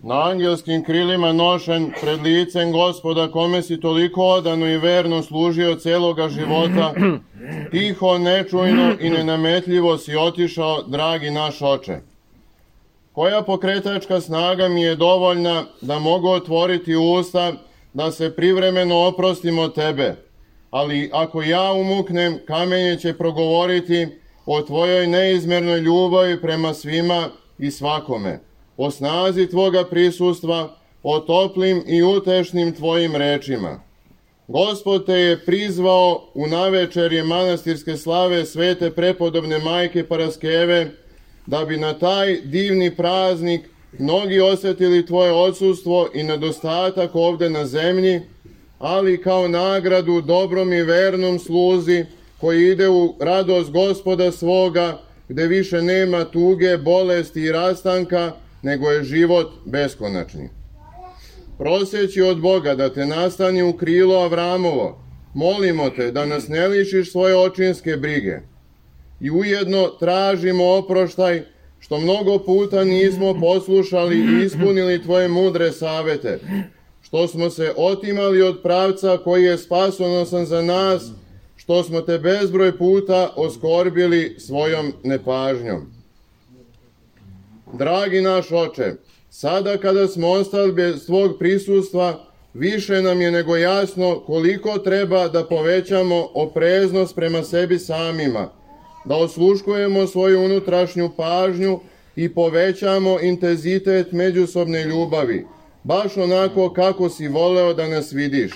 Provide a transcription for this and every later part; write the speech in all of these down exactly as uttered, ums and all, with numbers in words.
na angelskim krilima nošen pred licem Gospoda, kome si toliko odano i verno služio celoga života, tiho, nečujno i nenametljivo si otišao, dragi naš oče. Koja pokretačka snaga mi je dovoljna da mogu otvoriti usta, da se privremeno oprostim od tebe, ali ako ja umuknem, kamenje će progovoriti o tvojoj neizmjernoj ljubavi prema svima i svakome, o snazi tvoga prisustva, o toplim i utešnim tvojim rečima. Gospod te je prizvao u navečerje manastirske slave svete prepodobne majke Paraskeve, da bi na taj divni praznik mnogi osjetili tvoje odsustvo i nedostatak ovde na zemlji, ali kao nagradu dobrom i vernom sluzi koji ide u radost Gospoda svoga, gde više nema tuge, bolesti i rastanka, nego je život beskonačni. Proseći od Boga da te nastani u krilo Avramovo, molimo te da nas ne lišiš svoje očinske brige. I ujedno tražimo oproštaj što mnogo puta nismo poslušali i ispunili tvoje mudre savete, što smo se otimali od pravca koji je spasonosan za nas, što smo te bezbroj puta oskorbili svojom nepažnjom. Dragi naš oče, sada kada smo ostali bez tvog prisustva, više nam je nego jasno koliko treba da povećamo opreznost prema sebi samima, da osluškujemo svoju unutrašnju pažnju i povećamo intenzitet međusobne ljubavi, baš onako kako si voleo da nas vidiš,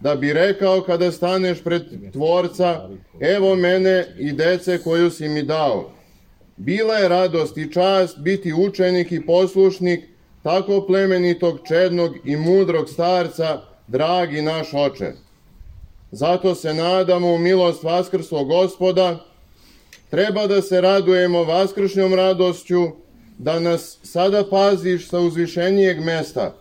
da bi rekao kada staneš pred Tvorca, evo mene i dece koju si mi dao. Bila je radost i čast biti učenik i poslušnik tako plemenitog, čednog i mudrog starca, dragi naš oče. Zato se nadamo u milost vaskrslog Gospoda. Treba da se radujemo vaskršnjom radošću, da nas sada paziš sa uzvišenijeg mesta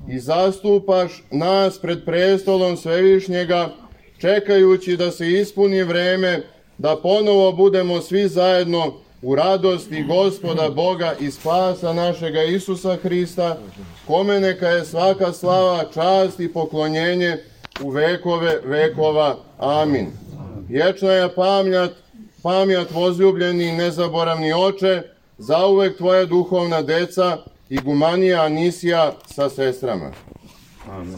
i zastupaš nas pred prestolom Svevišnjega, čekajući da se ispuni vreme, da ponovo budemo svi zajedno u radosti Gospoda Boga i spasa našega Isusa Hrista, kome neka je svaka slava, čast i poklonjenje u vekove vekova. Amin. Vječna je pamjat, pamjat возljubljeni i nezaboravni oče, zauvek tvoja duhovna deca, igumanija Anisija sa sestrama. Amin.